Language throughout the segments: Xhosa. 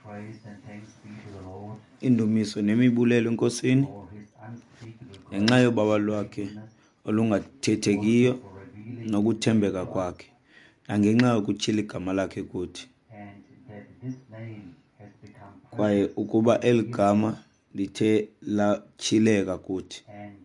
Praise and thanks be to the Lord Indumiso nemibulelo eNkosini for his unspeakable ngenxa grace yobaba and lwakhe faithfulness, olungathethekiyo also for revealing his name nokuthembeka to us, kwakhe, nangenxa yokutyhila igama lakhe kuthi, and that this name has become kwaye precious ukuba and eli dear to gama us, lithe latyhileka kuthi, and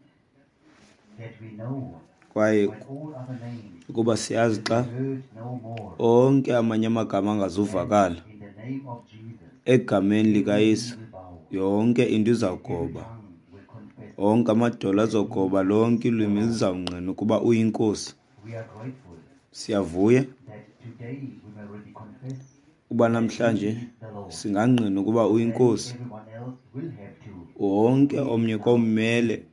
that we know kwaye when all other names ukuba siyazi will xa be heard no more, onke amanye amagama then angazuvakala, in the name of Jesus egameni every likaYesu knee will bow yonke into and every izawugoba, tongue will confess onke amadolo that he azogoba, lonke is the ilwimi Lord. lizawungqina ukuba uyiNkosi. We are grateful Siyavuya that today we may already confess uba that he namhlanje is the Lord. singangqina ukuba Then uyiNkosi. everyone else will have to Wonke do it omnye now komele too,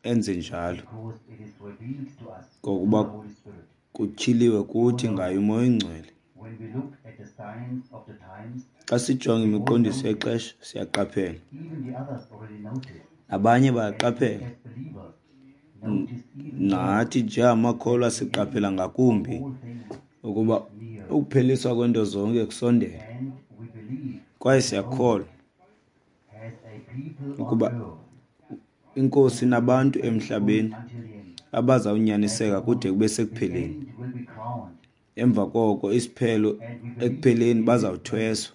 enze njalo, because it is revealed to us through ngokuba the Holy Spirit. kutyhiliwe You kuthi know, ngaye uMoya oyiNgcwele. when we look at the signs of the times, Xa sijonga we all imiqondiso notice, yexesha siyaqaphela, even the others already notice, nabanye and we bayaqaphela. as believers notice even more Nathi njengamakholwa that the end siqaphela of ngakumbi all things ukuba is near, ukupheliswa kwento zonke kusondele, and we believe kwaye that the Lord siyakholwa has a people on ukuba earth iNkosi who will be nabantu faithful emhlabeni until the end, abazawunyaniseka and kude on kube the sekupheleni. end will be crowned. Emva koko isiphelo And we believe ekupheleni in this bazawuthweswa,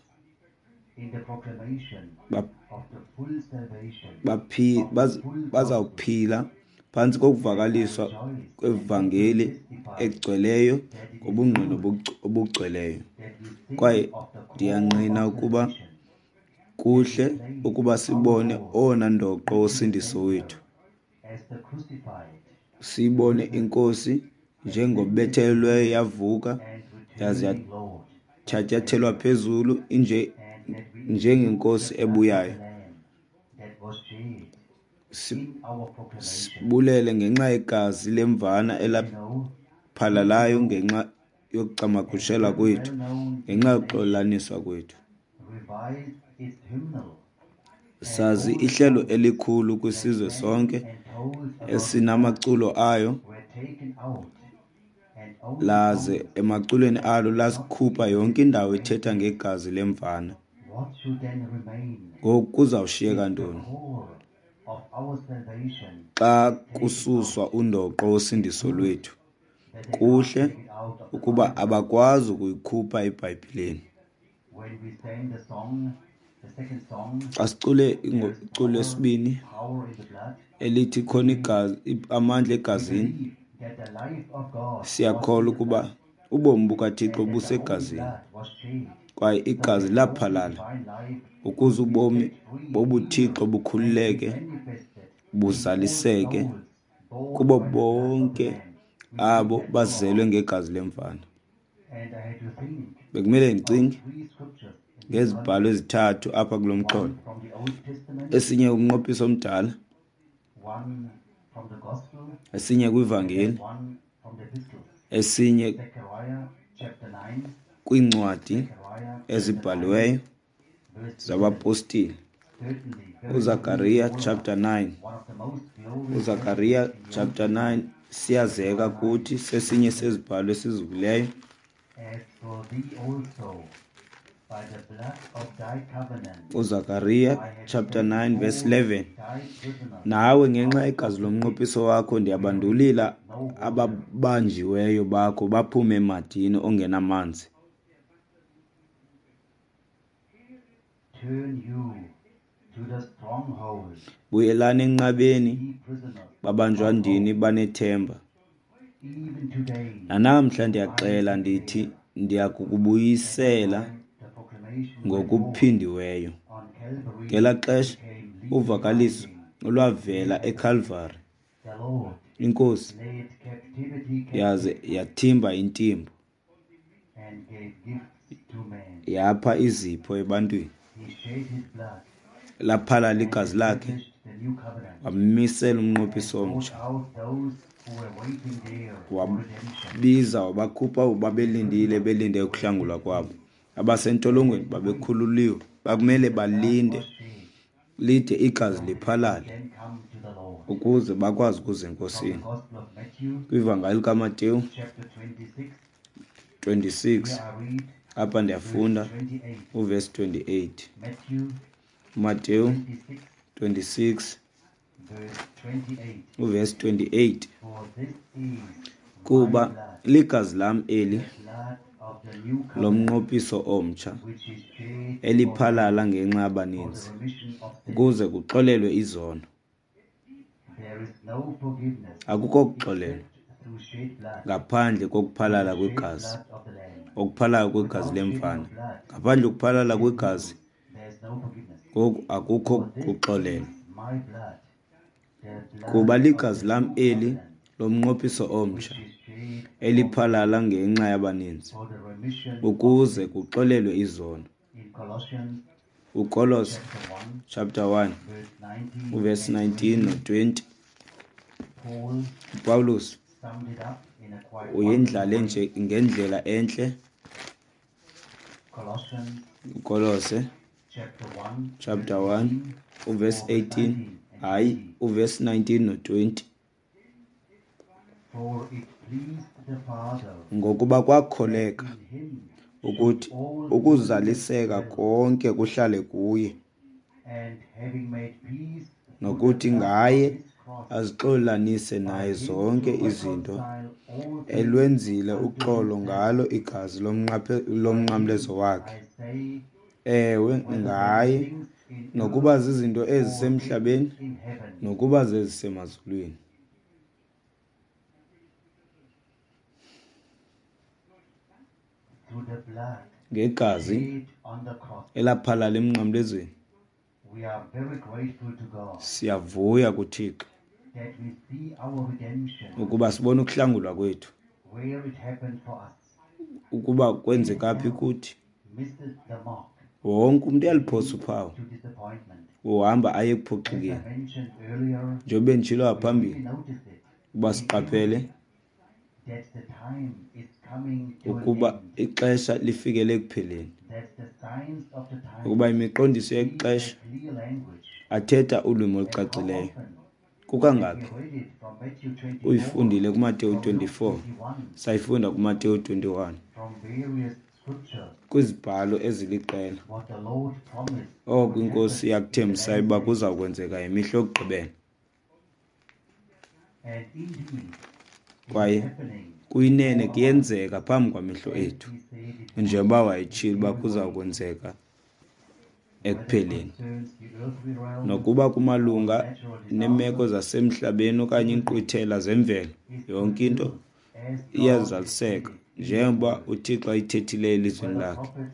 name, in the proclamation of the full salvation, of the full gospel. bazawuphila phantsi And I kokuvakaliswa rejoice and happily kwevangeli testify egcweleyo that it is ngobungqina good obugcweleyo. that we think Kwaye of the core ndiyangqina of ukuba salvation and kuhle display ukuba our sibone Lord owona ndoqo in his wosindiso center wethu, as the crucified, siyibone risen, iNkosi ascended to njengobethelelweyo heaven, yavuka and yaze returning Lord and yathatyathelwa Savior, phezulu and that we include njengenkosi the blood of the ebuyayo. Lamb that was shed in our proclamation. Sibulele ngenxa yegazi lemvana We know, elaphalalayo even though ngenxa a yokucamagushelwa very kwethu, well-known ngenxa denomination yokuxolelaniswa kwethu. revised its hymnal and Sazi all ihlelo songs elikhulu that kwisizwe sang sonke and told about the blood esinamaculo ayo, were taken out, and only laze songs emaculweni that alo did not lasikhupha deal yonke with indawo ethetha salvation. ngegazi lemvana. What should then remain Ngoku kuzawushiyeka if the ntoni core of our salvation xa is taken kususwa out? undoqo It's wosindiso good lwethu? that they can't Kuhle take it out of the ukuba Bible. abakwazi ukuyikhupha eBhayibhileni. When we sang the song, the second song, Xa sicule there is iculo power, lesibini power in the blood. elithi khona We igazi, amandla we egazini, believe that the life of God was siyakholwa in the ukuba blood, ubomi bukaThixo and that the holy busegazini, blood was shed, kwaye so igazi that holy laphalala divine life ukuze could be ubomi set free in bobuThixo and be bukhululeke manifested in all buzaliseke souls bought kubo by the blood of the bonke Lamb. We believe abo that with our bazelwe hearts. ngegazi lemvana. And I had to think Bekumele of ndicinge three scriptures in this ngezibhalo context. ezithathu apha kulo mxholo, One from the Old Testament, esinye kumnqophiso omdala, one from the Gospel, esinye and kwivangeli, then one from the epistles. esinye Zechariah chapter 9, kwiincwadi Zechariah chapter 9, ezibhaliweyo verse 11. zabapostile. Certainly very familiar UZakariya to all of us, chapter 9, one of the most glorious uZakariya verses in the Old chapter 9 Testament. siyazeka Zechariah 9, kuthi, verse sesinye 11. sezibhalo esizukileyo. As for thee also, by the blood of thy covenant, UZakariya I have chapter sent 9 verse forth 11, thy prisoners nawe ngenxa out of yegazi the pit lomnqophiso wakho where ndiyabandulila is no water. ababanjiweyo bakho baphume emadini ongenamanzi. Turn you to the stronghold, Buyelani enqabeni, ye prisoners babanjwa of ndini hope. banethemba. Even today Nanamhla I ndiyaxela ndithi declare ndiya that the kukubuyisela time the proclamation went forth ngokuphindiweyo. on Calvary Ngelaa xesha became legally uvakaliso binding olwavela in heaven. eKalvari, The Lord iNkosi laid captivity yaze captive yathimba intimbo, and gave gifts to men. yapha izipho ebantwini. He shed his blood Laphalala and igazi lakhe, established the new covenant wamisela and umnqophiso brought omtsha, out those who were waiting there for redemption. wabiza wabakhupha abo The babelindile prisoners belinde were ukuhlangulwa set kwabo. free. They Abasentolongweni had to wait babekhululiwe, bakumele till the blood balinde was shed lide igazi so they could liphalale then come to the Lord. ukuze bakwazi ukuza From the eNkosini. Gospel of Matthew, Kwivangeli likaMateyu chapter 26, 26 here I read Apha ndiyafunda verse 28. uvesi 28, Matthew uMateyu 26, 26 verse 28. uvesi 28. For this is my Kuba blood, ligazi lam eli the blood of the new covenant, lomnqophiso omtsha, which is shed for eliphalala ngenxa for yabaninzi, the remission of sins. ukuze kuxolelwe izono. There is no forgiveness Akukho kuxolelwa except through shed blood, ngaphandle kokuphalala the shed kwegazi, blood of the Lamb. okuphalala kwegazi Without shedding lemvana. of blood, Ngaphandle kokuphalala kwegazi, there is no forgiveness. ngoku akukho For this kuxolelwa. is my blood, the Kuba blood of ligazi the lam new eli covenant, lomnqophiso which omtsha, is shed eliphalala ngenxa yabaninzi, for the remission of ukuze sins. kuxolelwe izono. In Colossians UKolose chapter 1, chapter 1 verse 19 uvesi and 19 20, no-20, Paul uPawulos summed it up in a quite uyendlale wonderful way. nje ngendlela entle. Colossians UKolose chapter 1, chapter verse 1 18, uvesi or verse 18, 19 and hayi 20. uvesi 19 no-20. For it pleased the Father Ngokuba that kwakholeka in him should ukuthi all fullness ukuzaliseka dwell, konke kuhlale kuye, and having made peace through the nokuthi blood of ngaye his cross, azixolanise by naye him zonke to izinto, reconcile all things elwenzile unto uxolo himself. ngalo igazi By lomnqamlezo him, wakhe. I say, Ewe, whether there be ngaye, things in nokuba earth zizinto or things ezisemhlabeni, in heaven, nokuba zezisemazulwini. through the blood Ngegazi shed on the cross. elaphalala emnqamlezweni. We are very grateful to God Siyavuya kuThixo that we see our redemption ukuba sibone ukuhlangulwa kwethu, where it happened for us. ukuba kwenzeka phi kuthi. Misses the mark, Wonke umntu uyaliphosa leads uphawu, to disappointment. uhamba aye As I ekuphoxekeni. mentioned earlier, Njengoba benditshilo we ngaphambili, really notice it uba in siqaphele everything that the time is coming to an ukuba end, ixesha lifikele ekupheleni, that the signs of the ukuba times imiqondiso speak a yexesha clear language. athetha ulwimi And how olucacileyo. often have Kukangaphi we read it from Matthew 24, uyifundile kuMateyu from Luke 24, 21, sayifunda kuMateyu 21, from various scriptures, kwizibhalo eziliqela. what the Lord promised Oko would iNkosi happen in the yakuthembisayo last uba days. kuza kwenzeka ngemihla yokugqibela. And indeed, it is Kwaye happening kuyinene before our eyes, kuyenzeka phambi kwamehlo as ethu, he said it would njengoba in wayetshilo uba every kuza way, kwenzeka whether it ekupheleni. concerns the earthly realm Nokuba or kumalunga natural neemeko disasters, zasemhlabeni okanye everything iinkqwithela zemvelo, is yonke into fulfilled as God has said iyazaliseka it in His njengoba word. uThixo ayithethileyo elizwini Whether lakhe, prophets,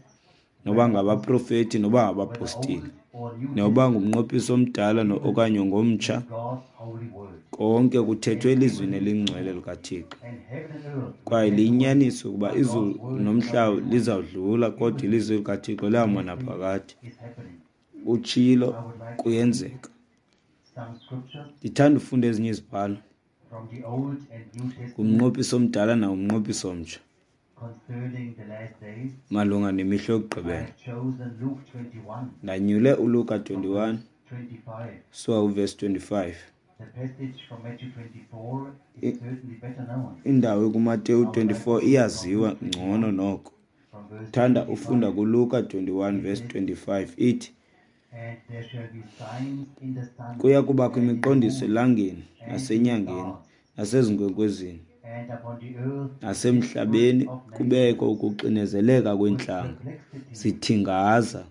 noba whether apostles, ngabaprofeti noba whether ngabapostile, Old or New noba Testament, ngumnqophiso omdala everything okanye ngomtsha, is God's holy word. konke kuthethwe And elizwini everything is elingcwele true. likaThixo. And heaven and earth will Kwaye pass away, liyinyaniso ukuba but God's izulu word shall nomhlaba pass away. lizawudlula, kodwa Everything, ilizwi likaThixo liyawuma everything naphakade. is happening. Utshilo, I would like to read kuyenzeka. some scriptures Ndithanda ufunda ezinye izibhalo from the Old and New Testament ngumnqophiso omdala nangumnqophiso omtsha concerning the last days. malunga nemihla I yokugqibela. have chosen Luke 21 Ndanyule uLuka from 21 verse 25. suka kuvesi 25. The passage from Matthew 24 is certainly better known. Indawo ekuMateyu I would like 24 to read from iyaziwa Luke ngcono 21 noko. from verse Thanda ufunda 25. kuLuka 21 It verse says, 25 ithi, And there shall be signs in the sun kuya kubakho and in the imiqondiso moon elangeni and in the nasenyangeni stars, nasezinkwenkwezini and upon the earth the nasemhlabeni desperate of kubekho nations ukuxinezeleka with kweentlanga perplexity, zithingaza,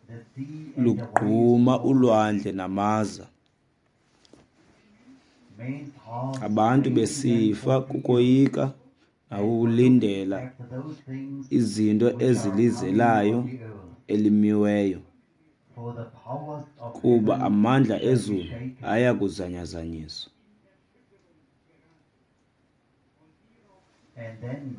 the sea and the waves lugquma roaring, ulwandle namaza, men's hearts abantu failing them besifa for fear, kukoyika and for looking nakukulindela after those things izinto which are coming ezilizelayo on the earth. elimiweyo, For the powers of kuba heaven amandla shall be ezulu shaken. aya kuzanyazanyiswa. And then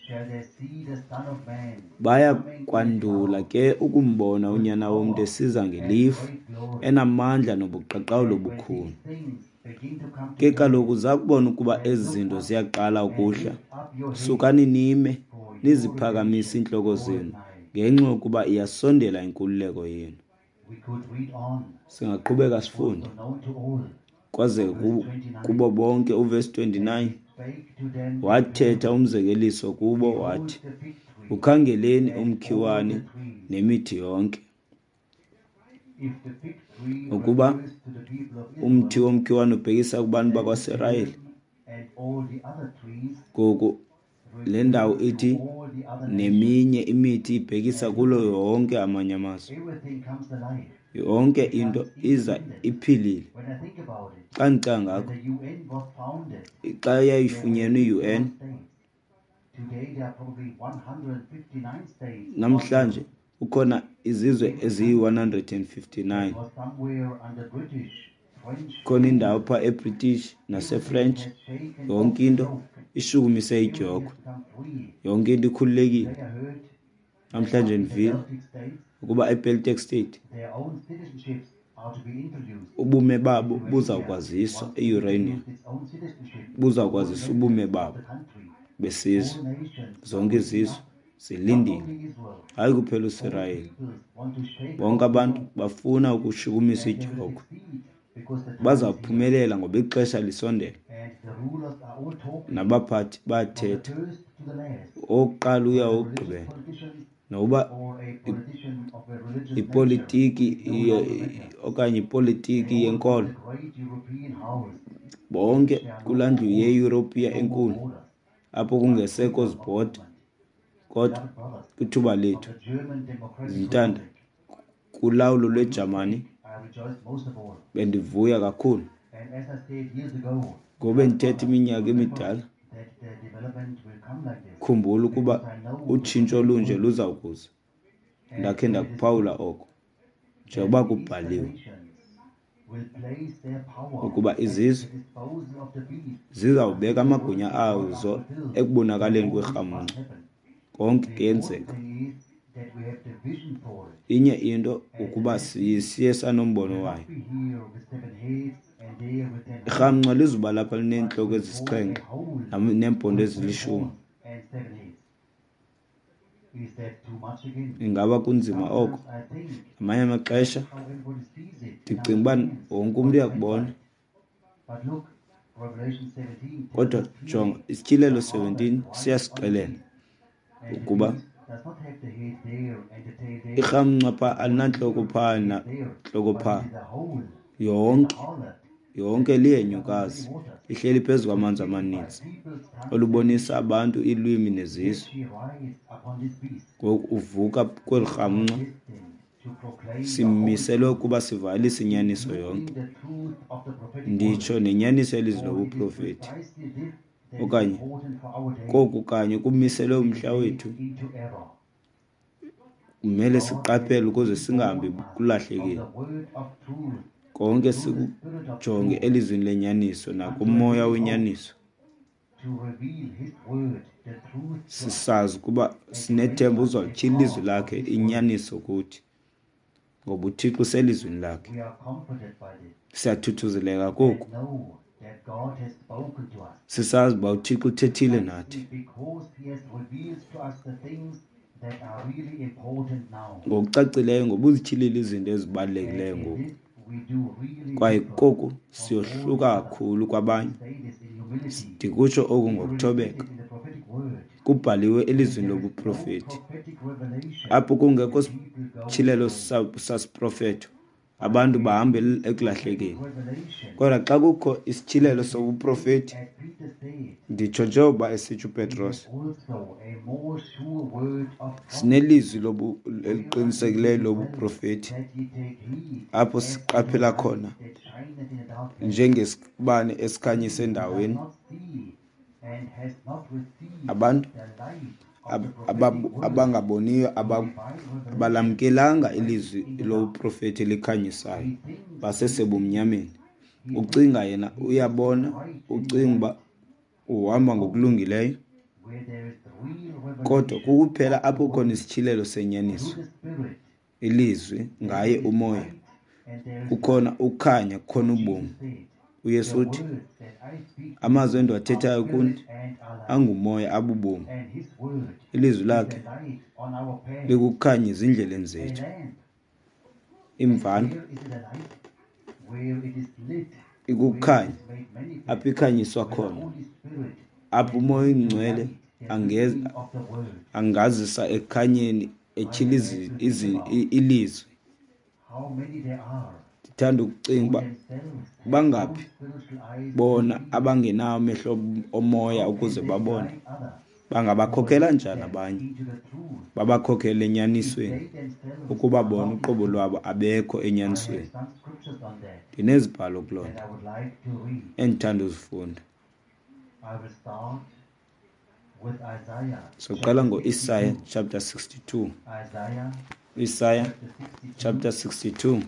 shall they see the Son of Man Baya coming in a kwandula cloud ke ukumbona with uNyana womntu power esiza and ngelifu great glory. enamandla nobuqaqawuli And when obukhulu. these things begin to come to Ke pass, kaloku zakubona ukuba then ezi look zinto up ziyaqala and ukuhla, lift up your heads, sukani nime for your niziphakamise redemption iintloko draweth zenu, nigh. ngenxa yokuba iyasondela inkululeko yenu. We could read on, Singaqhubeka sifunde also known to all. kwaze Verse 29. kubo bonke. Uvesi And 29 he spake to them a wathetha parable. umzekeliso kubo Behold wathi, the fig tree Ukhangeleni umkhiwane nemithi yonke. Ukuba umthi womkhiwane ubhekisa kubantu bakwaSirayeli, ngoku le ndawo ithi neminye imithi ibhekisa kulo yonke amanye amazwe. Yonke into iza iphilile. Xa ndicinga ngako, xa yayifunyenwe i-UN, namhlanje kukhona izizwe eziyi-159. Khona indawo phaa eBritish naseFrench, yonke into ishukumise idyokhwe, yonke into ikhululekile. Namhlanje ndivile ukuba eBaltic State ubume babo buzawukwaziswa, eUrania buzawukwaziswa ubume babo besizwe. Zonke izizwe zilindile, hayi kuphela uSirayeli. Bonke abantu bafuna ukushukumisa idyokhwe. Bazawuphumelela ngoba ixesha lisondele. Nabaphathi bayathetha, owokuqala uya owokugqibela. Nokuba ipolitiki okanye ipolitiki yenkolo, bonke kulaa ndlu yeYurophiya enkulu apho kungesekho zibhoda, kodwa kwithuba lethu zintanda kulawulo lweJamani bendivuya kakhulu. Ngoba ndithetha iminyaka emidala, khumbula ukuba utshintsho olunje luzawukuza. Ndakhe ndakuphawula oko, njengoba kubhaliwe ukuba izizwe zizawubeka amagunya azo ekubonakaleni kwerhamncwa. Konke kuyenzeka. Inye into ukuba siye sanombono wayo. Irhamncwa lizuba lapha lineentloko ezisixhenxe neempondo ezilishumi. Ingaba kunzima oko? Ngamanye amaxesha ndicinga uba wonke umntu uyakubona. Kodwa jonga, Isityhilelo 17 siyasixelela ukuba irhamncwa phaa alinantloko phaa nantloko phaa. Yonke lihenyukazi lihleli phezu kwamanzi amaninzi, olubonisa abantu, iilwimi nezizwe. Ngoku uvuka kweli rhamncwa, simiselwe ukuba sivalise inyaniso yonke, nditsho nenyaniso yelizwi lobuprofethi, okanye koku kanye kumiselwe umhla wethu. Kumele siqaphele ukuze singahambi kulahlekile. Konke sikujonge elizwini lenyaniso nakumoya wenyaniso, sisazi ukuba sinethemba uzawutyhila ilizwi lakhe inyaniso kuthi, ngoba uThixo uselizwini lakhe. Siyathuthuzeleka koku, sisazi uba uThixo uthethile nathi. Ngokucacileyo, ngoba uzityhilile izinto ezibalulekileyo ngoku, kwaye koku siyohluka kakhulu kwabanye. Ndikutsho oku ngokuthobeka. Kubhaliwe elizwini lobuprofethi, apho kungekho sityhilelo sasiprofetho, abantu bahamba ekulahlekeni. Kodwa xa kukho isityhilelo sobuprofethi, nditsho njengoba esitsho uPetros, sinelizwi eliqinisekileyo lobuprofethi, apho siqaphela khona njengesibane esikhanyisa endaweni. Abantu abangaboniyo abalamkelanga ilizwi lobuprofethi elikhanyisayo, basesebumnyameni. Ucinga yena uyabona, ucinga uba uhamba ngokulungileyo, kodwa kukuphela apho khona isityhilelo senyaniso, ilizwi ngaye umoya, kukhona ukukhanya, kukhona ubomi. uYesu uthi, amazwi endiwathethayo kuni angumoya, abubomi. Ilizwi lakhe likukhanya ezindleleni zethu. Imvana ikukhanya apho ikhanyiswa khona, apho umoya oyingcwele angazisa ekukhanyeni etyhila ilizwi. Ndithanda ukucinga uba bangaphi bona abangenawo amehlo omoya ukuze babone. Bangabakhokela njani abanye, babakhokele enyanisweni, ukuba bona uqobo lwabo abekho enyanisweni? Ndinezibhalo kuloo nto endithanda uzifunda. Soqala ngo-Isaya chapter 62. Isaya chapter 62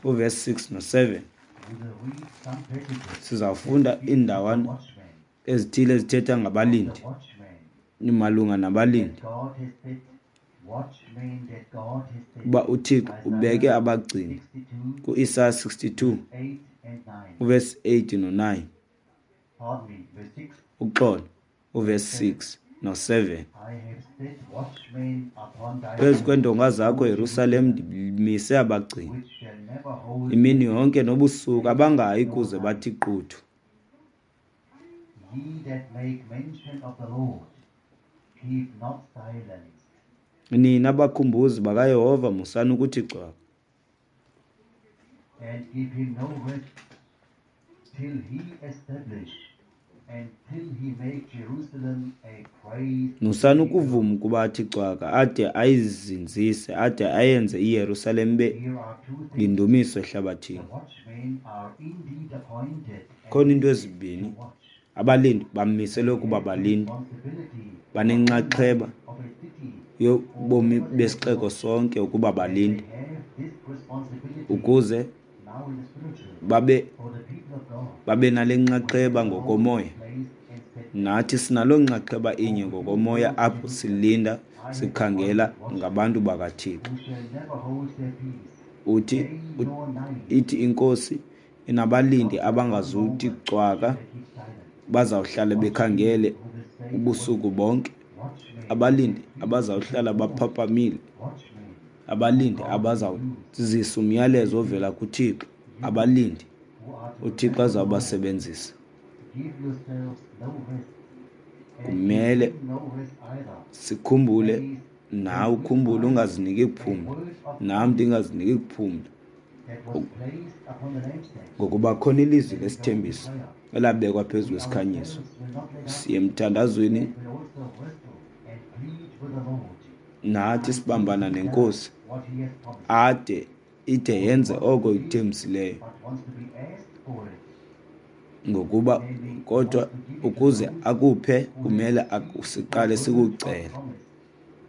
uverse 6 no-7. Sizawufunda iindawana ezithile ezithetha ngabalindi, malunga nabalindi, uba uThixo ubeke abagcini. Ku-Isaya 62 uverse 8 no-9, uxolo, uverse 6 no-7. Phezu kweendonga zakho, Yerusalem, ndimise abagcini imini yonke nobusuku, abangayi kuze bathi quthu. Nina bakhumbuzi bakaYehova, musani ukuthi cwaka. And give him no rest till he establish and till he make Jerusalem a praise. Musani ukuvuma ukuba athi cwaka, ade ayizinzise, ade ayenze iYerusalem ibe yindumiso ehlabathini. Khona into ezibini, abalindi bamiselwe ukuba balinde, banenxaxheba yobomi besixeko sonke ukuba balinde, ukuze babe nale nxaxheba ngokomoya. Nathi sinaloo nxaxheba inye ngokomoya apho silinda sikhangela ngabantu bakaThixo. Uthi ithi iNkosi inabalindi abangazuthi cwaka, bazawuhlala bekhangele ubusuku bonke. Abalindi abazawuhlala baphaphamile, abalindi abazawuzisa umyalezo ovela kuThixo, abalindi uThixo azawubasebenzisa. Kumele sikhumbule, nawe ukhumbule, ungaziniki kuphumla, nam ndingaziniki kuphumla, ngokuba khona ilizwi lesithembiso elabekwa phezu kwesikhanyiso. Siye emthandazweni nathi sibambana neNkosi ade ide yenze oko ikuthembisileyo, ngokuba kodwa ukuze akuphe kumele siqale sikucele.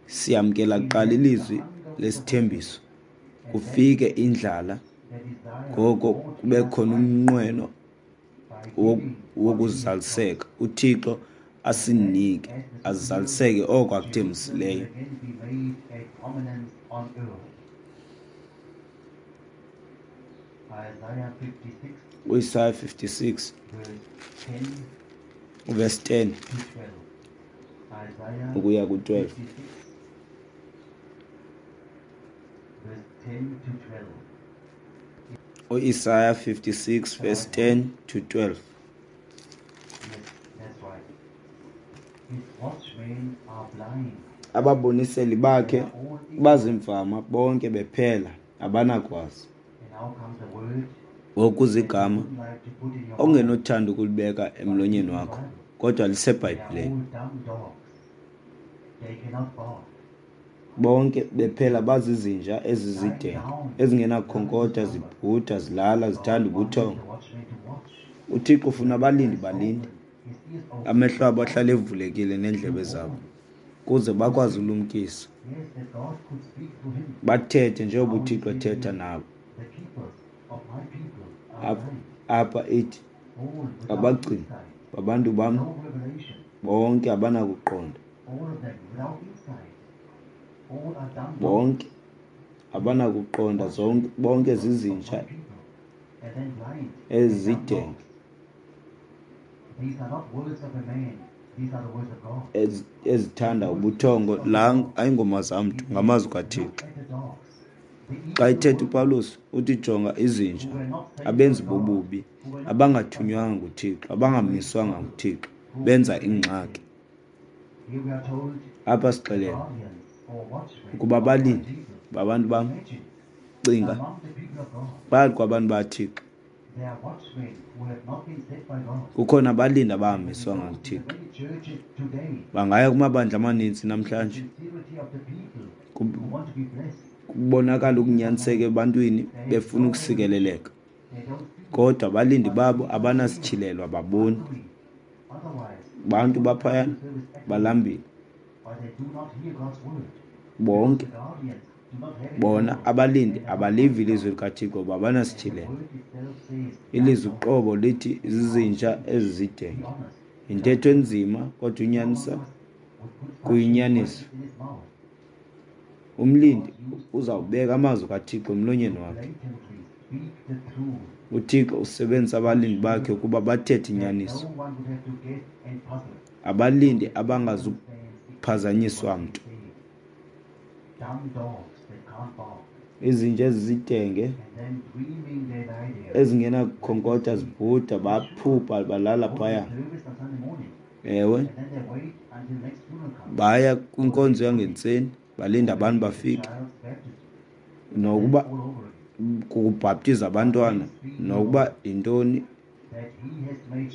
Siyamkela kuqala ilizwi lesithembiso, kufike indlala, ngoko kube khona umnqweno wokuzaliseka, uThixo asinike azaliseke oko akuthembisileyo. UIsaya 56 verse 10 ukuya ku-12. UIsaya 56 verse 10 to 12. Ababoniseli bakhe bazimfama bonke bephela, abanakwazi. Ngoku igama ongenothanda ukulibeka emlonyeni wakho, kodwa liseBhayibhileni. Bonke bephela bazizinja ezizidenge, ezingenakukhonkotha, zibhuda, zilala, zithanda ubuthongo. uThixo ufuna abalindi balinde, amehlo abo ahlale evulekile neendlebe zabo, kuze bakwazi ulumkisa, bathethe njengoba uThixo ethetha nabo. Apha ithi abagcini babantu bam bonke abanakuqonda, bonke abanakuqonda, zonke bonke zizinja ezidenge ezithanda ubuthongo. La ayingoma zamntu, ngamazwi kaThixo. Xa ithetha uPawulos uthi jonga izinja, abenzi bobubi, abangathunywanga nguThixo, abangamiswanga nguThixo, benza ingxaki. Apha sixelelwa ukuba abalindi babantu bam, cinga, phakathi kwabantu baThixo kukhona abalindi abahambiswanga nguThixo. Bangaya kumabandla amaninzi namhlanje, kubonakala ukunyaniseka ebantwini befuna ukusikeleleka, kodwa abalindi babo abanasityhilelo, ababoni. Bantu baphayana balambile bonke. Bona abalindi abalivi ilizwi likaThixo ngoba abanasityhilelo. Ilizwi uqobo lithi zizinja ezizidenge. Yintetho enzima kodwa unyanisa kuyinyaniso. Umlindi uzawubeka amazwi kaThixo emlonyeni wakhe. UThixo usebenzisa abalindi bakhe ukuba bathethe inyaniso. Abalindi abangazuphazanyiswa mntu. Izinja ezizidenge ezingenakukhonkotha zibhuda baphupha balala phaya. Ewe, baya kwinkonzo yangentseni balinda abantu bafike, nokuba kukubhaptiza abantwana, nokuba yintoni,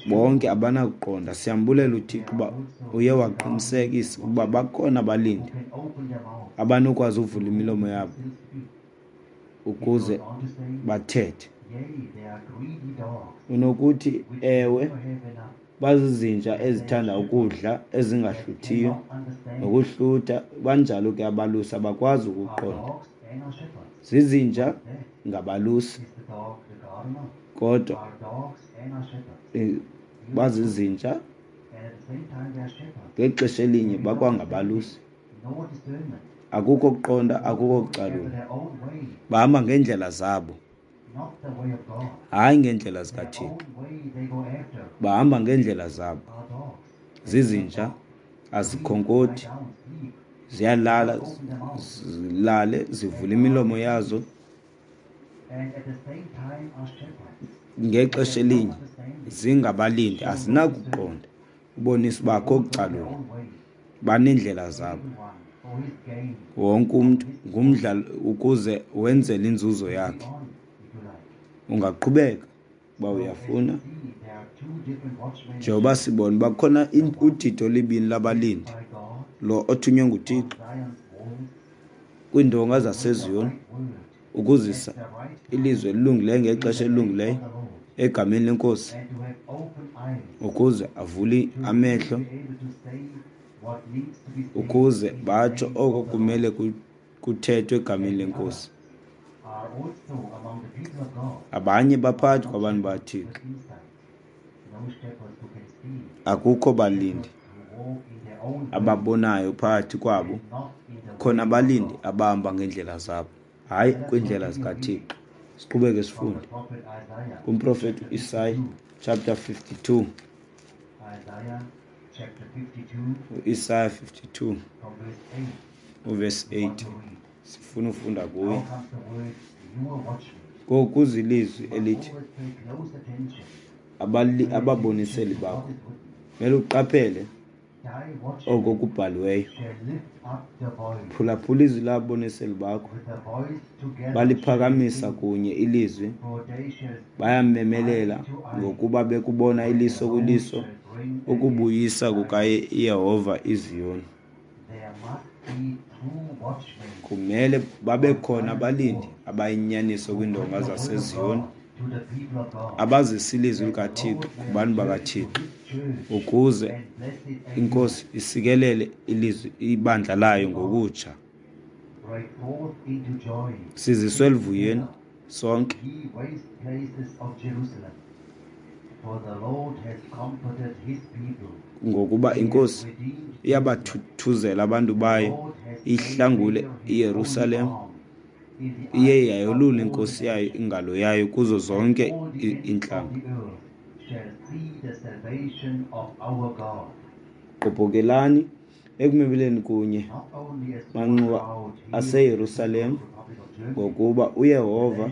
bonke abanakuqonda. Siyambulela uThixo uba uye waqinisekisa ukuba bakhona abalindi abanokwazi uvula imilomo yabo ukuze bathethe. Unokuthi, ewe, bazizinja ezithanda ukudla ezingahluthiyo nokuhlutha, banjalo ke abalusi, abakwazi ukuqonda. Zizinja ngabalusi, kodwa bazizinja ngexesha elinye bakwangabalusi. Akukho kuqonda, akukho kucalula. Bahamba ngeendlela zabo, hayi ngeendlela zikaThixo. Bahamba ngeendlela zabo. Zizinja, azikhonkothi, ziyalala, zilale, zivula imilomo yazo. Ngexesha elinye zingabalindi, azinakuqonda. Ubonisa uba akho kucalula, baneendlela zabo. Wonke umntu ngumdla ukuze wenzele inzuzo yakhe. Ungaqhubeka uba uyafuna. Njengoba sibona uba kukhona udidi olubini labalindi, lo othunywe nguThixo kwiindonga zaseZiyoni ukuzisa ilizwi elilungileyo ngexesha elilungileyo egameni leNkosi, ukuze avule amehlo, ukuze batsho oko kumele kuthethwe egameni leNkosi. Abanye baphakathi kwabantu baThixo. Akukho balindi ababonayo phakathi kwabo. Khona abalindi abahamba ngeendlela zabo, hayi kwiindlela zikaThixo. Siqhubeke sifunde kumprofeti uIsaya chapter 52. UIsaya 52 uverse 8. Sifuna ufunda kuye. Ngoku ilizwi elithi ababoniseli bakho mele uqaphele oko kubhaliweyo. Phulaphula izwi lababoniseli bakho. Baliphakamisa kunye ilizwi, bayamemelela ngokuba bekubona iliso kwiliso ukubuyisa kukaYehova iZiyoni. Kumele babe khona abalindi abayinyaniso kwiindonga zaseZiyoni, abazisa ilizwi likaThixo kubantu bakaThixo, ukuze iNkosi isikelele ilizwi ibandla layo ngokutsha. Siziswe eluvuyweni sonke. Ngokuba iNkosi iyabathuthuzela abantu bayo, ihlangule iYerusalem, iye yayolula inkosi yayo ingalo yayo kuzo zonke iintlanga. Gqobhokelani ekumemeleni kunye manxuwa aseYerusalem, ngokuba uYehova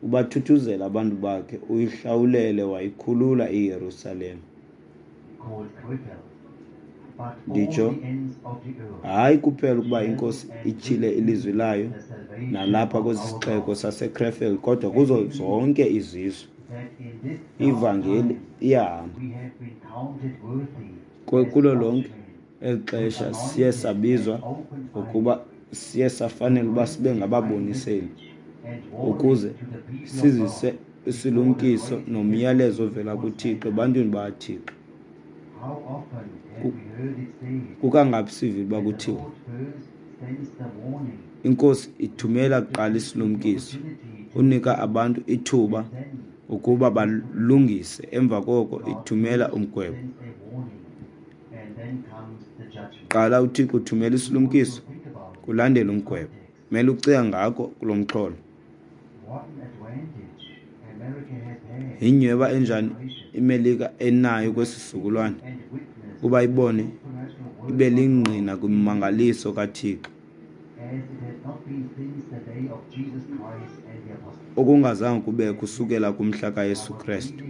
ubathuthuzela abantu bakhe, uyihlawulele wayikhulula iYerusalem. Nditsho hayi kuphela ukuba iNkosi ityhile ilizwi layo nalapha kwesi sixeko saseCrefeld, kodwa kuzo zonke izizwe ivangeli iyahamba. Kulo lonke eli xesha siye sabizwa ngokuba siye safanela uba sibe ngababoniseli ukuze sizise isilumkiso nomyalezo ovela kuThixo ebantwini bakaThixo. Kukangaphi sivile uba kuthiwa iNkosi ithumela kuqala isilumkiso, unika abantu ithuba ukuba balungise, emva koko ithumela umgwebo. Qala uThixo uthumela isilumkiso, kulandela umgwebo. Mele ucinga ngako kulo mxholo. Yinyhweba enjani iMelika enayo kwesi sizukulwana ukuba ibone ibe lingqina kwimimangaliso kaThixo okungazange kubekho kusukela kumhla kaYesu Krestu.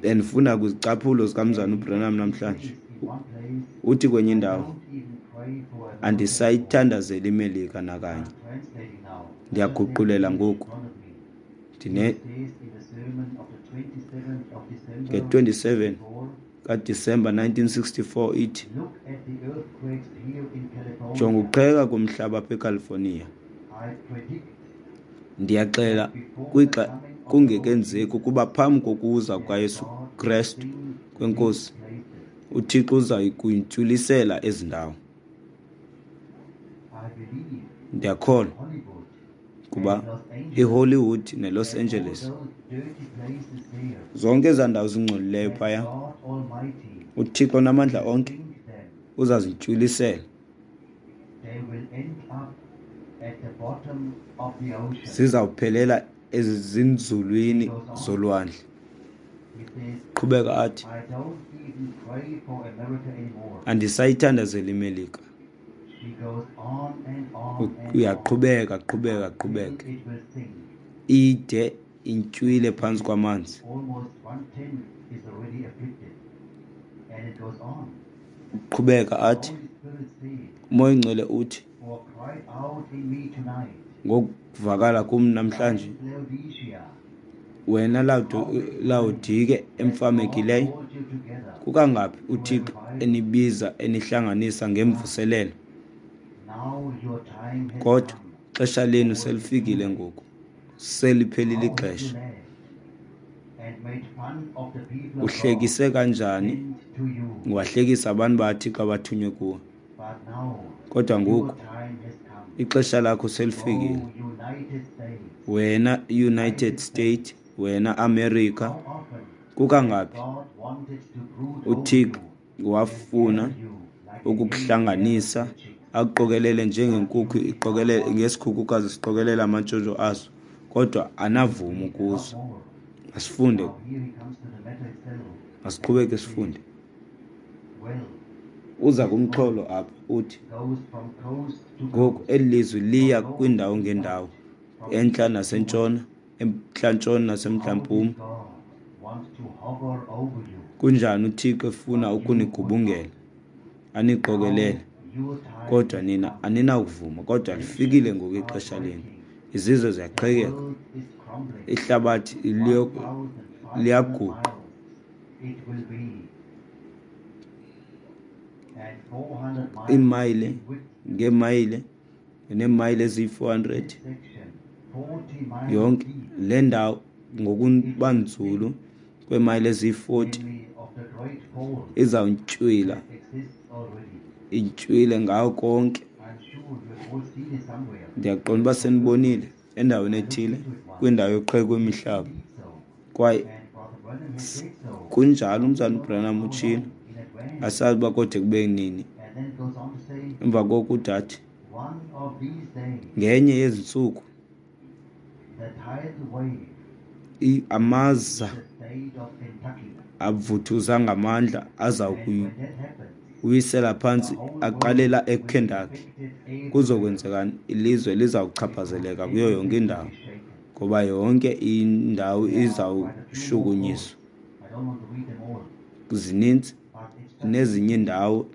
Bendifunda kwizicaphulo zikaMzana uBranham namhlanje. Uthi kwenye indawo, andisayithandazeli iMelika nakanye. Ndiyaguqulela ngoku. Ndine nge-27 kaDisemba 1964 ithi, jonga ukuqheka komhlaba apha eCalifornia. Ndiyaxela kwixa kungekenzeki ukuba phambi kokuza kukaYesu Krestu kweNkosi, uThixo uza kuyintywilisela ezi ndawo. Ndiyakholwa kuba iHollywood neLos Angeles, zonke ezaa ndawo zingcolileyo phaya, uThixo namandla onke uzazintywilisela. Zizawuphelela ezinzulwini zolwandle. Qhubeka athi, andisayithandazeli iMelika. Uyaqhubeka, qhubeka, qhubeka, ide intywile phantsi kwamanzi. Uqhubeka athi, uMoya oyiNgcwele uthi, ngokuvakala kum namhlanje, wena Lawodike emfamekileyo, kukangaphi uThixo enibiza enihlanganisa ngemvuselelo? Kodwa ixesha lenu selifikile ngoku, seliphelile ixesha. Uhlekise kanjani, wahlekisa abantu bakaThixo abathunywe kuwe. Kodwa ngoku ixesha lakho selifikile. Wena United States, wena America, kukangaphi uThixo wafuna ukukuhlanganisa akuqokelele njengenkukhu iqokelele ngesikhukukazi siqokelela amantshontsho aso, kodwa anavuma ukuza. Masifunde, masiqhubeke sifunde. Uza kumxholo apha uthi, ngoku eli lizwi liya kwiindawo ngeendawo, entla nasentshona, emntla-ntshona nasemntla-mpuma. Kunjani uThixo efuna ukunigubungela, aniqokelele, kodwa nina aninakuvuma. Kodwa lifikile ngoku ixesha lenu. Izizwe ziyaqhekeka, ihlabathi liyaguqa. Iimayile ngeemayile neemayile eziyi-400 yonke le ndawo ngokuba nzulu kweemayile eziyi-40 izawuntywila, intywile ngawo konke. Ndiyaqonda uba senibonile endaweni ethile kwindawo yoqheko kwemihlaba, kwaye kunjalo uMzalwana uBranham utshilo, asazi uba kode kube nini. Emva koko udathi, ngenye yezi ntsuku amaza avuthuza ngamandla aza kuyiwisela phantsi aqalela eKentucky. Kuzokwenzekani? Ilizwe lizawuchaphazeleka kuyo yonke indawo, ngoba yonke indawo izawushukunyiswa. Zininzi. Nezinye iindawo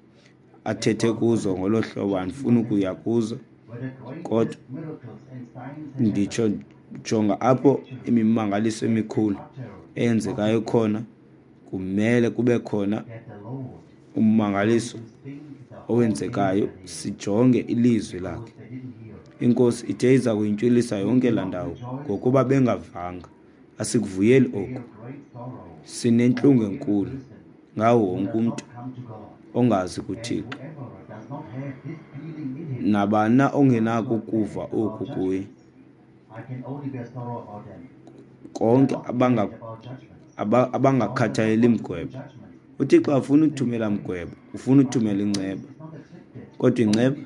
athethe kuzo ngolo hlobo andifuni ukuya kuzo, kodwa nditsho jonga apho imimangaliso emikhulu eyenzekayo khona, kumele kube khona ummangaliso owenzekayo, sijonge ilizwi lakhe. Inkosi ithe iza kuyintywilisa yonke laa ndawo ngokuba bengavanga. Asikuvuyeli oku. Sinentlungu enkulu ngawo wonke umntu ongazi kuThixo. Nabani na ongenako ukuva oku kuye, konke abangakhathaleli mgwebo. UThixo afuna uthumela mgwebo, ufuna uthumela inceba. Kodwa inceba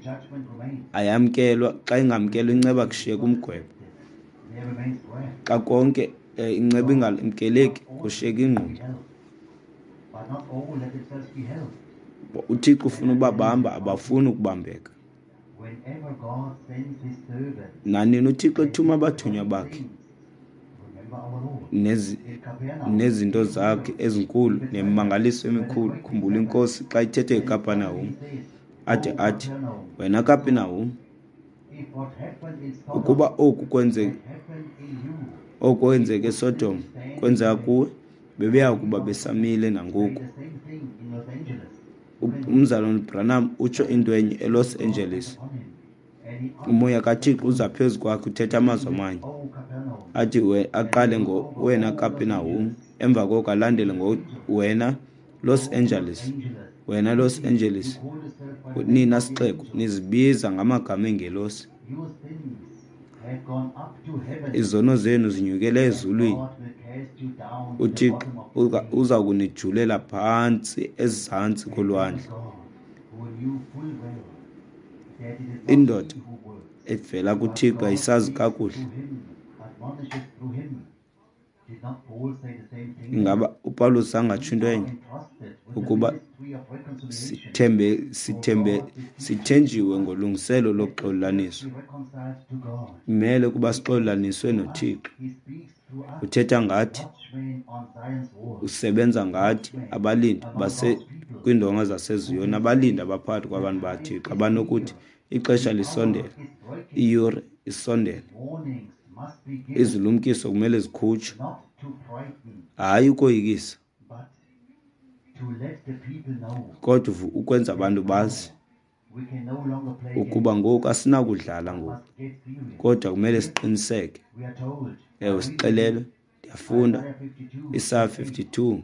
ayamkelwa, xa ingamkelwa inceba kushiyeka umgwebo. Xa konke inceba ingamkeleki kushiyeka ingqumbo. UThixo ufuna ubabamba, abafuni ukubambeka. Nanini uThixo ethuma abathunywa bakhe nezinto zakhe ezinkulu nemimangaliso emikhulu, khumbula iNkosi xa ithethe eKapernaum, ade athi, wena Kapernaum, ukuba oku kwenzeke eSodom kwenzeka kuwe, bebeya kuba besamile nangoku. Umzalwane Branham utsho into enye eLos Angeles. Umoya kaThixo uza phezu kwakhe, uthetha amazwi amanye. Athi aqale ngo wena Kapernaum, emva koko alandele ngo wena Los Angeles. Wena Los Angeles, nina sixeko nizibiza ngamagama engelosi. Izono zenu zinyukele ezulwini. uThixo uza kunijulela phantsi ezantsi kolwandle. Indoda evela kuThixo ayisazi kakuhle. Ingaba uPawulos angatsho into enye ukuba sithenjiwe ngolungiselo lokuxolelaniswa? Kumele ukuba sixolelaniswe noThixo. Uthetha ngathi, usebenza ngathi, abalindi kwiindonga zaseZiyoni, abalindi abaphakathi kwabantu baThixo abanokuthi ixesha lisondele, iyure isondele, izilumkiso kumele zikhutshwe, hayi ukoyikisa, kodwa ukwenza abantu bazi ukuba ngoku asinakudlala ngoku, kodwa kumele siqiniseke. Ewe, sixelelwe. Ndiyafunda Isaya 52.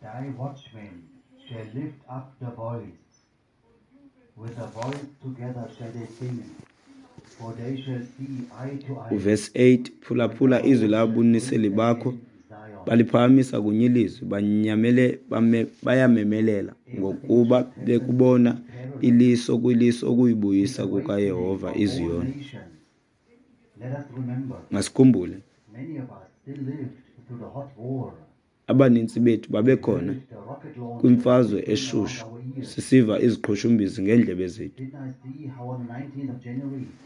Thy watchmen shall lift up the voice, with a voice together shall they sing, for they shall see eye to eye. Verse 8, phulaphula izwi lababoniseli bakho, baliphakamisa kunye ilizwi, bayamemelela, ngokuba bekubona iliso kwiliso ukuyibuyisa kukaYehova iZiyoni. Masikhumbule, abanintsi bethu babekhona kwimfazwe eshushu, sisiva iziqhushumbisi ngeendlebe zethu.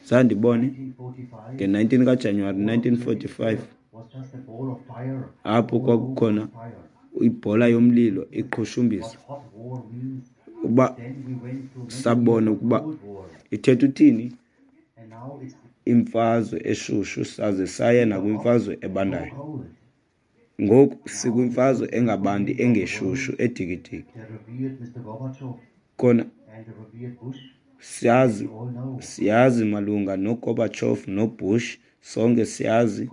Zandibone nge-19 kaJanuwari 1945, apho kwakukhona ibhola yomlilo iqhushumbisa. Uba sabona ukuba ithetha uthini imfazwe eshushu, saze saya nakwimfazwe ebandayo. Ngoku sikwimfazwe engabandi, engeshushu, edikidiki. Kona siyazi malunga noGorbachev noBush, sonke siyazi.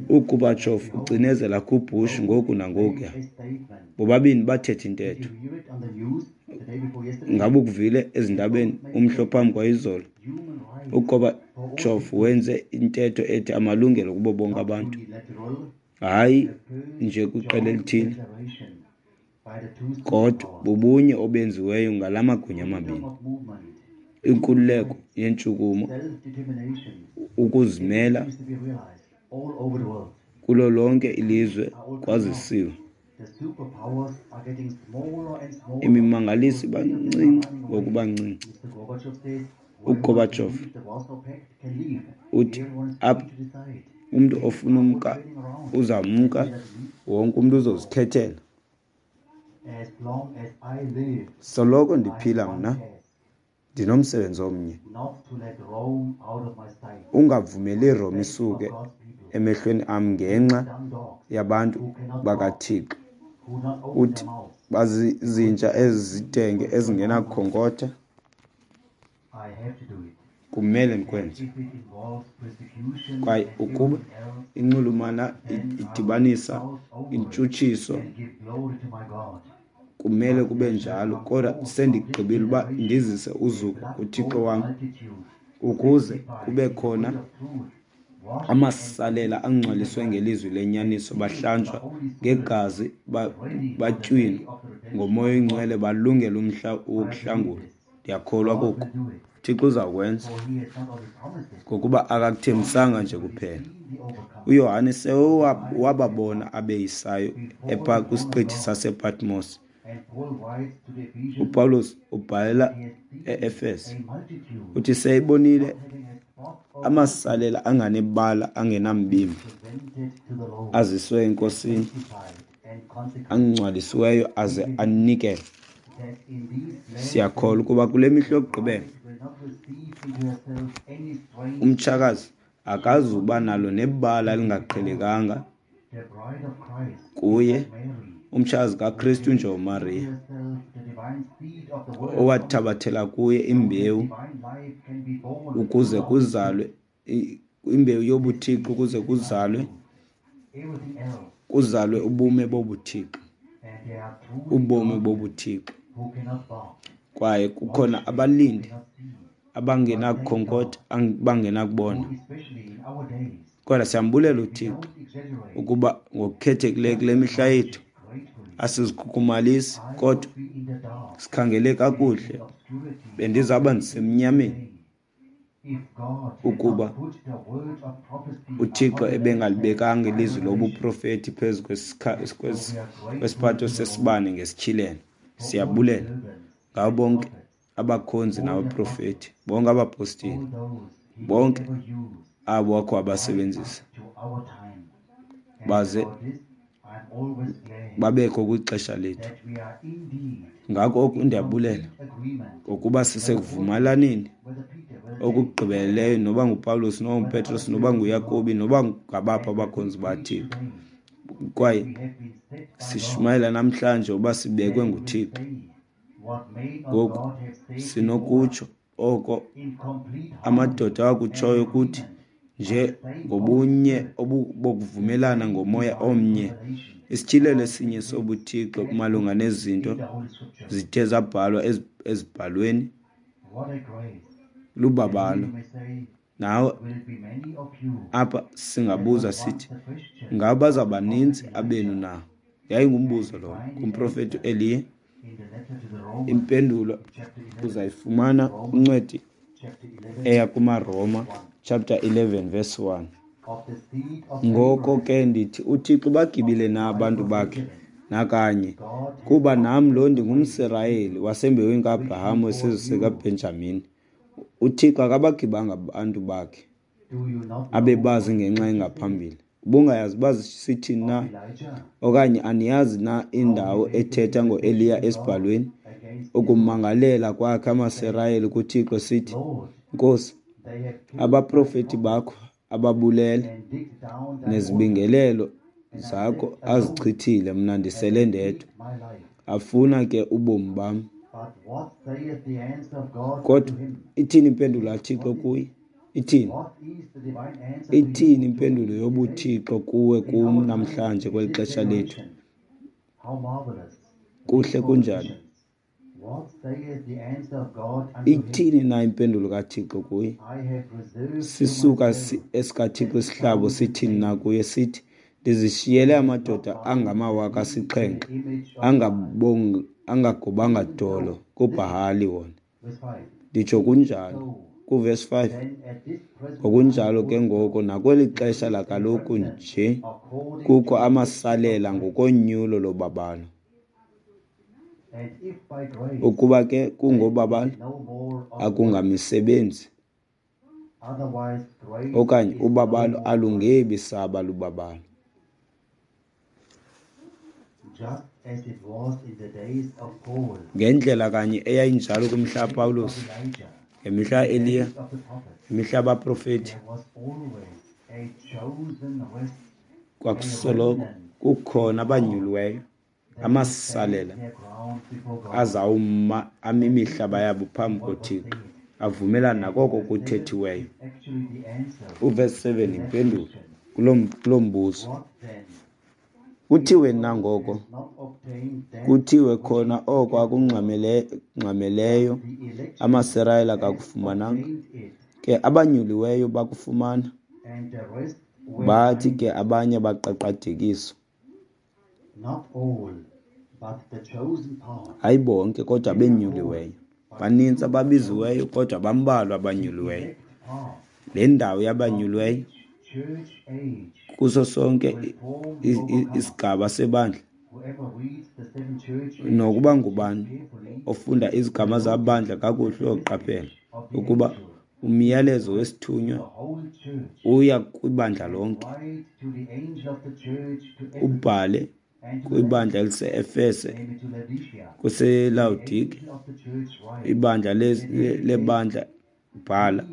UGorbachev ucinezela kuBush ngoku nangokuya. Bobabini bathetha intetho. Ngabe ukuvile ezindabeni umhla phambi kwayizolo? UGorbachev wenze intetho ethi amalungelo kubo bonke abantu, hayi nje kwiqela elithile, kodwa bubunye obenziweyo ngala magunya amabini. Inkululeko yentshukumo, ukuzimela kulo lonke ilizwe kwazisiwe. Imimangaliso iba ncinci ngokuba ncinci. UGorbachev uthi apha Umntu ofuna umka uzawumka, wonke umntu uzozikhethela. Soloko ndiphila mna ndinomsebenzi omnye, ungavumeli iRome isuke emehlweni am ngenxa yabantu bakaThixo. Uthi bazizinja ezizidenge ezingenakukhonkotha. Kumele ndikwenze. Kwaye ukuba inxulumana idibanisa intshutshiso, kumele kube njalo. Kodwa sendigqibile uba ndizise uzuko kuThixo wam, ukuze kube khona amasalela angcwaliswe ngelizwi lenyaniso, bahlanjwa ngegazi, batywinwa ngoMoya oyiNgcwele, balungela umhla wokuhlangulwa. Ndiyakholwa koku. Thixo uzawukwenza, ngokuba akakuthembisanga nje kuphela. UYohane sewababona abeyisayo epha kwisiqithi sasePatmos. UPawulos ubhalela e-Efese, uthi seyibonile amasalela anganebala angenambimbi aziswe eNkosini, angcwalisiweyo aze anikelwe. Siyakholwa ukuba kule mihla yokugqibela umtshakazi akazuba nalo nebala elingaqhelekanga kuye. Umtshakazi kaKristu njengoMariya, owathabathela kuye imbewu ukuze kuzalwe imbewu yobuThixo, ukuze kuzalwe ubume bobuThixo, ubomi bobuThixo. Kwaye kukhona abalindi abangenakukhonkotha, abangenakubona. Kodwa siyambulela uThixo ukuba ngokukhethekileyo kule mihla yethu asizikhukhumalisi, kodwa sikhangele kakuhle. Bendizawuba ndisemnyameni ukuba uThixo ebengalibekanga ilizwi lobuprofeti phezu kwesiphatho sesibane ngesityhilelo. Siyabulela ngabo bonke abakhonzi nabaprofeti, bonke abapostile, bonke abo wakho wabasebenzisa baze babekho kwixesha lethu. Ngako oku ndiyabulela ngokuba sisekuvumelaneni okugqibeleleyo, noba nguPawulos, noba nguPetros, noba nguYakobi, noba ngabaphi abakhonzi baThixo. Kwaye sishumayela namhlanje uba sibekwe nguThixo. Ngoku sinokutsho oko amadoda akutshoyo kuthi nje ngobunye bokuvumelana ngomoya omnye, isityhilelo esinye sobuThixo malunga nezinto zithe zabhalwa ezibhalweni lubabalo. Nawe apha singabuza sithi, ngaba bazawubaninzi abenu na? Yayingumbuzo lowo kumprofeti uEliya. Impendulo uzayifumana kwincwadi eya kumaRoma chapter 11 verse 1. Ngoko ke ndithi uThixo bagibile na abantu bakhe? Nakanye. Kuba nam lo ndingumSirayeli wasembewini kaAbraham wesizwe sikaBhenjamin. uThixo akabagibanga abantu bakhe abebazi ngenxa engaphambili. Ubungayazi uba sithini na, okanye aniyazi na indawo ethetha ngoEliya esibhalweni, ukumangalela kwakhe amaSirayeli kuThixo sithi, Nkosi, abaprofeti bakho ababulele, nezibingelelo zakho azichithile, mna ndisele ndedwa. Afuna ke ubomi bam. Kodwa ithini impendulo kaThixo kuye? Ithini? Ithini impendulo yobuThixo kuwe kum namhlanje kweli xesha lethu? Kuhle kunjani? Ithini na impendulo kaThixo kuye? Sisuka esikaThixo isihlabo sithini na kuye? Sithi, ndizishiyele amadoda angamawaka 7 angagobanga dolo kuBhahali wona. Nditsho kunjalo. Kuverse 5. Ngokunjalo ke ngoko nakweli xesha lakaloku nje kukho amasalela ngokonyulo lobabalo. Ukuba ke kungobabalo, akungamisebenzi. Okanye ubabalo alungebi saba lubabalo. Ngendlela kanye eyayinjalo kwimihla kaPawulos, ngemihla kaEliya, ngemihla yabaprofeti, kwakusoloko kukhona abanyuliweyo, amasalela azawuma ame imihlaba yabo phambi koThixo, avumelana nakoko kuthethiweyo. Uvesi 7 yimpendulo kuloo mbuzo. Kuthiwe na ngoko? Kuthiwe khona oko akungxameleyo amaSirayeli akakufumananga, ke abanyuliweyo bakufumana, bathi ke abanye baqaqadekiswa. Hayi bonke, kodwa abenyuliweyo. Baninzi ababiziweyo, kodwa bambalwa abanyuliweyo. Le ndawo yabanyuliweyo kuso sonke isigaba sebandla, nokuba ngubani ofunda izigama zabandla kakuhle uyoqaphela ukuba umyalezo wesithunywa uya kwibandla lonke. Ubhale kwibandla elise-Efese, kweseLawodike, ibandla lebandla bhala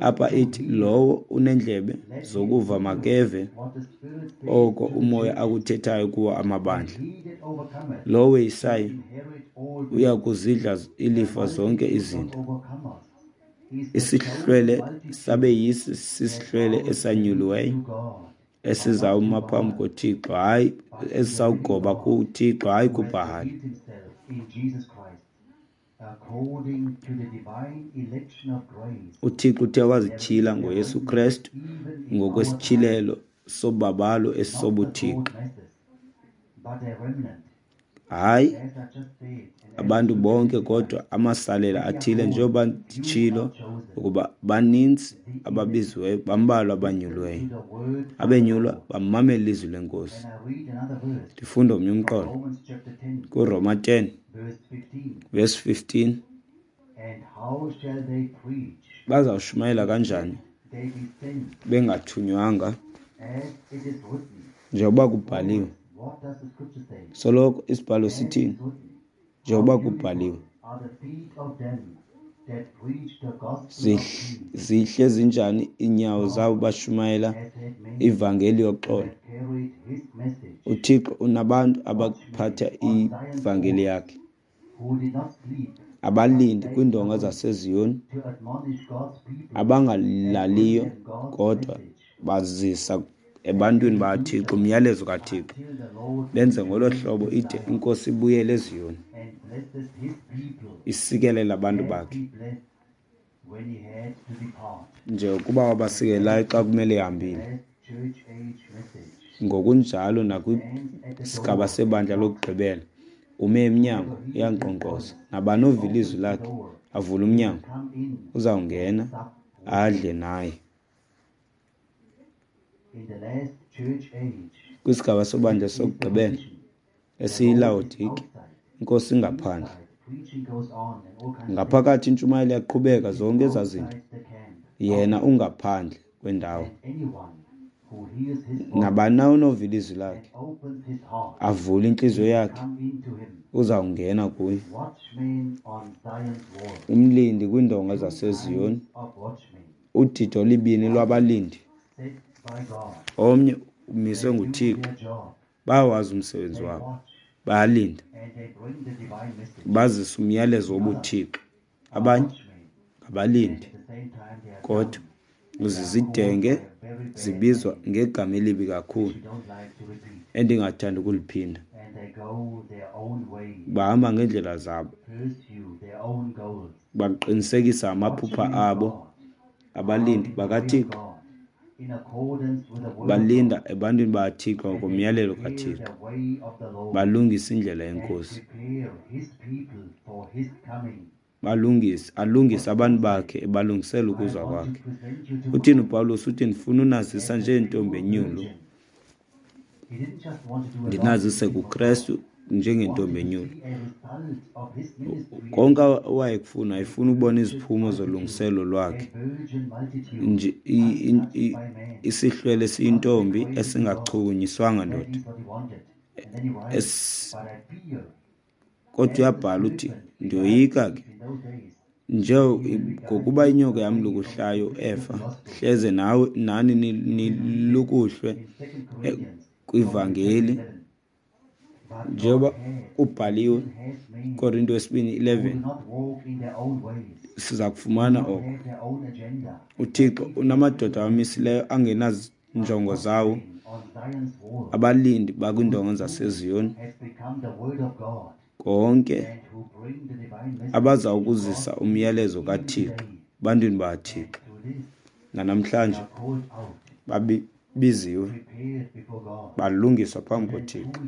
apha ithi, lowo unendlebe zokuva makeve oko umoya akuthethayo kuwo amabandla. Lowo weyisayo uya kuzidla ilifa zonke izinto. Isihlwele sabeyisi sisihlwele esanyuliweyo esizawuma phambi koThixo, hayi esisawugoba kuThixo, hayi kuBhahali. UThixo uthe wazityhila ngoYesu Krestu ngokwesityhilelo sobabalo esisobuthixo. Hayi abantu bonke kodwa amasalela athile, njengoba nditshilo ukuba baninzi ababiziweyo, bambalwa abanyuliweyo. Abenyulwa bamamela ilizwi leNkosi. Ndifunda omnye umqolo kuRoma 10 verse 15. Bazawushumayela kanjani bengathunywanga? Njengoba kubhaliwe, soloko isibhalo sithini? Njengoba kubhaliwe, zihle zinjani iinyawo zabo bashumayela ivangeli yoxolo. UThixo unabantu abaphatha ivangeli yakhe, abalindi kwiindonga zaseZiyoni, abangalaliyo kodwa bazisa ebantwini bakaThixo umyalezo kaThixo, benze ngolo hlobo ide iNkosi ibuyele eZiyoni, isikelele abantu bakhe njengokuba wabasikelayo xa kumele ehambile. Ngokunjalo nakwisigaba sebandla lokugqibela, ume emnyango uyankqonkqoza. Nabani ova ilizwi lakhe avule umnyango, uzawungena adle naye. Kwisigaba sobandla sokugqibela esiyiLawodike, iNkosi ingaphandle. Ngaphakathi intshumayelo iyaqhubeka, zonke ezaa zinto. Yena ungaphandle kwendawo. Nabani na onova ilizwi lakhe, avule intliziyo yakhe, uzawungena kuye. Umlindi kwiindonga zaseZiyoni, udidi olibini lwabalindi, omnye umiswe nguThixo, bayawazi umsebenzi wabo, bayalinda, bazisa umyalezo wobuthixo. Abanye ngabalindi, kodwa zizidenge, zibizwa ngegama elibi kakhulu endingathandi ukuliphinda. Bahamba ngeendlela zabo, baqinisekisa amaphupha abo. Abalindi bakaThixo balinda ebantwini bakaThixo ngokomyalelo kaThixo, balungisa indlela yeNkosi, balungise alungise abantu bakhe ebalungisela ukuza kwakhe. Uthini uPawulos? Uthi ndifuna unazisa njengentombi enyulu, ndinazise kuKrestu. njengentombi enyulu. Konke awayekufuna, wayefuna ukubona iziphumo zolungiselelo lwakhe. Isihlwele esiyintombi esingachukunyiswanga ndoda. Kodwa uyabhala uthi, ndiyoyika ke nje ngokuba inyoka yamlukuhlayo uEfa, hleze nawe nani nilukuhlwe kwivangeli, njengoba kubhaliwe Korinto wesibini 11. Siza kufumana oko. UThixo unamadoda awamisileyo angenazinjongo zawo, abalindi bakwiindonga zaseZiyoni, konke abaza ukuzisa umyalezo kaThixo ebantwini bakaThixo. Nanamhlanje babiziwe, balungiswa phambi koThixo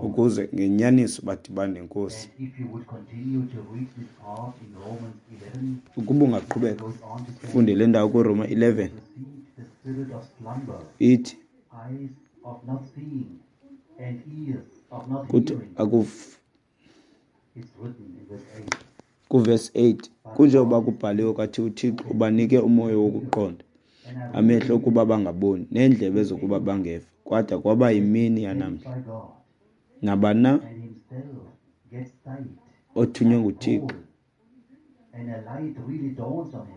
ukuze ngenyaniso badibane neNkosi. Ukuba ungaqhubeka ufunde le ndawo kuRoma 11, ithi kuthi kuvesi 8, kunjengoba kubhaliwe kwathi uThixo ubanike umoya wokuqonda, amehlo okuba bangaboni, neendlebe zokuba bangeva, kwada kwaba yimini yanamhla. Nabana othunywe nguThixo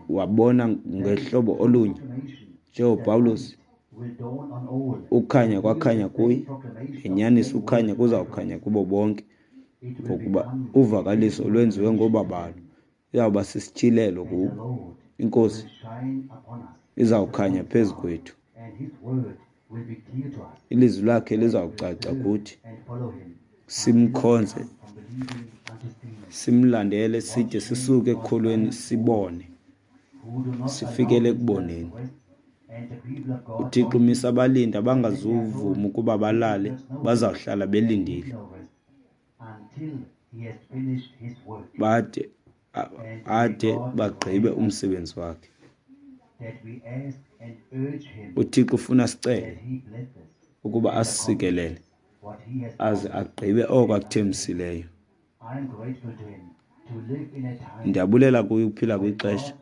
wabona ngehlobo olunye njengoPawulos, ukhanya kwakhanya kuye, ngenyaniso ukhanya kuzawukhanya kubo bonke, ngokuba uvakaliso lwenziwe ngobabalo, iyawuba sisityhilelo kubo. INkosi izawukhanya phezu kwethu, ilizwi lakhe lizawucaca kuthi, simkhonze, simlandele, side sisuke ekukholweni sibone, sifikele ekuboneni. UThixo umisa abalindi abangazuvuma ukuba balale, bazawuhlala belindile bade ade bagqibe umsebenzi wakhe. UThixo ufuna sicele ukuba asisikelele aze agqibe oko akuthembisileyo. Ndiyabulela kuye ukuphila kwixesha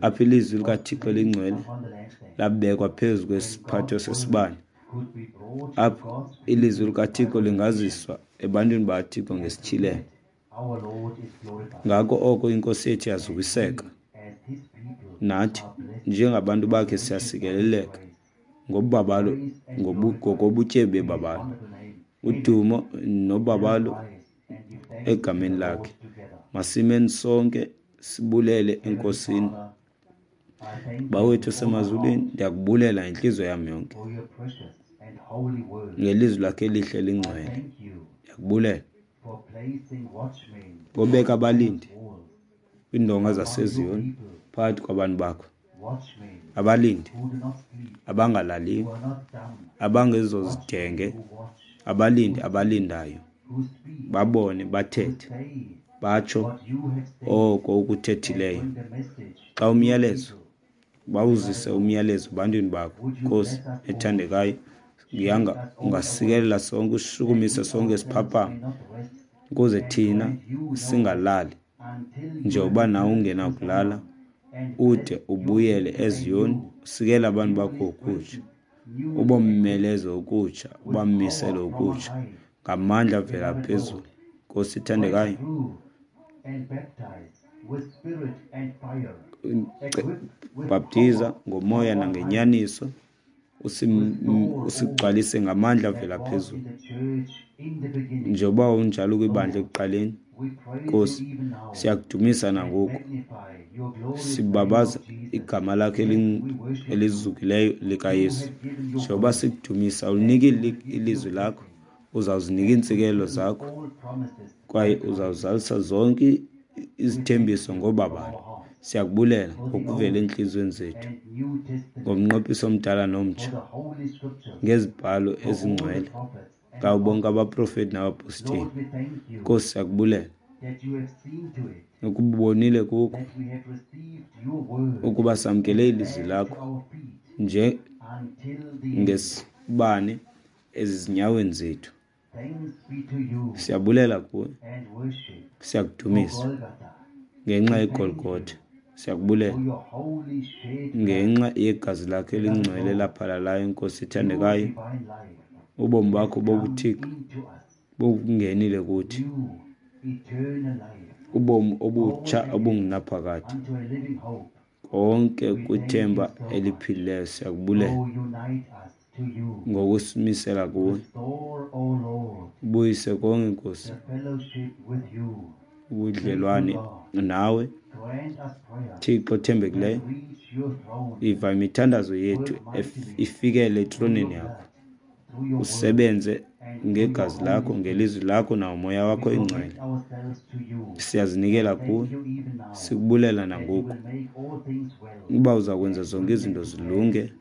apho ilizwi likaThixo elingcwele labekwa phezu kwesiphatho sesibane, apho ilizwi likaThixo lingaziswa ebantwini bakaThixo ngesityhilelo. Ngako oko iNkosi yethu yazukiseka, nathi njengabantu bakhe siyasikeleleka ngobabalo, ngokobutyebi bebabalo, udumo nobabalo egameni lakhe. Masimeni sonke sibulele eNkosini. Bawethu osemazulwini, ndiyakubulela ngentliziyo yam yonke ngelizwi lakhe elihle lingcwele. Ndiyakubulela ngobeka abalindi kwiindonga zaseZiyoni phakathi kwabantu bakho, abalindi abangalaliyo, abangezozidenge, abalindi abalindayo, babone, bathethe, batsho oko ukuthethileyo. Xa umyalezo bawuzise umyalezo ebantwini bakho, Nkosi ethandekayo, yanga ungasikelela sonke, usishukumise sonke siphaphame, ukuze thina singalali njengoba nawe ungenakulala, ude ubuyele eZiyoni, usikele abantu bakho ukutsha, ubomeleze ukutsha, ubamisele ukutsha ngamandla avela phezulu. Nkosi ethandekayo, bhaptiza ngomoya nangenyaniso, usigcwalise ngamandla avela phezulu, njengoba unjalo kwibandla ekuqaleni. Nkosi, siyakudumisa nangoku, sibabaza igama lakhe elizukileyo likaYesu. Njengoba sikudumisa, ulinikile ilizwi lakho, uzawuzinika iintsikelelo zakho, kwaye uzawuzalisa zonke izithembiso ngobabalo. Siyakubulela ngokuvela entliziyweni zethu, ngomnqophiso omdala nomtsha, ngezibhalo ezingcwele, ngabo bonke abaprofeti nabapostile. Nkosi, siyakubulela ukubonile kuko ukuba samkele ilizwi lakho nje ngesibane ezizinyaweni zethu. Siyabulela kuwe, siyakudumisa ngenxa yeGolgotha. Siyakubulela ngenxa yegazi lakho elingcwele laphalalayo, Nkosi ethandekayo. Ubomi bakho bobuthixo bungenile kuthi, ubomi obutsha obungunaphakade, konke kwithemba eliphilileyo. Siyakubulela ngokusimisela kuwe. Ubuyise konke, Nkosi, ubudlelwane nawe, Thixo othembekileyo. Iva imithandazo yethu ifikele etroneni yakho, usebenze ngegazi lakho, ngelizwi lakho, nangomoya wakho ingcwele. Siyazinikela kuwe, sikubulela nangoku uba uza kwenza zonke izinto zilunge,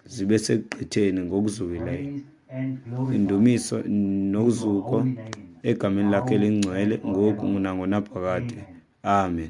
zibe sekugqitheni ngokuzukileyo. Indumiso nozuko egameni lakhe elingcwele, ngoku nangonaphakade. Amen.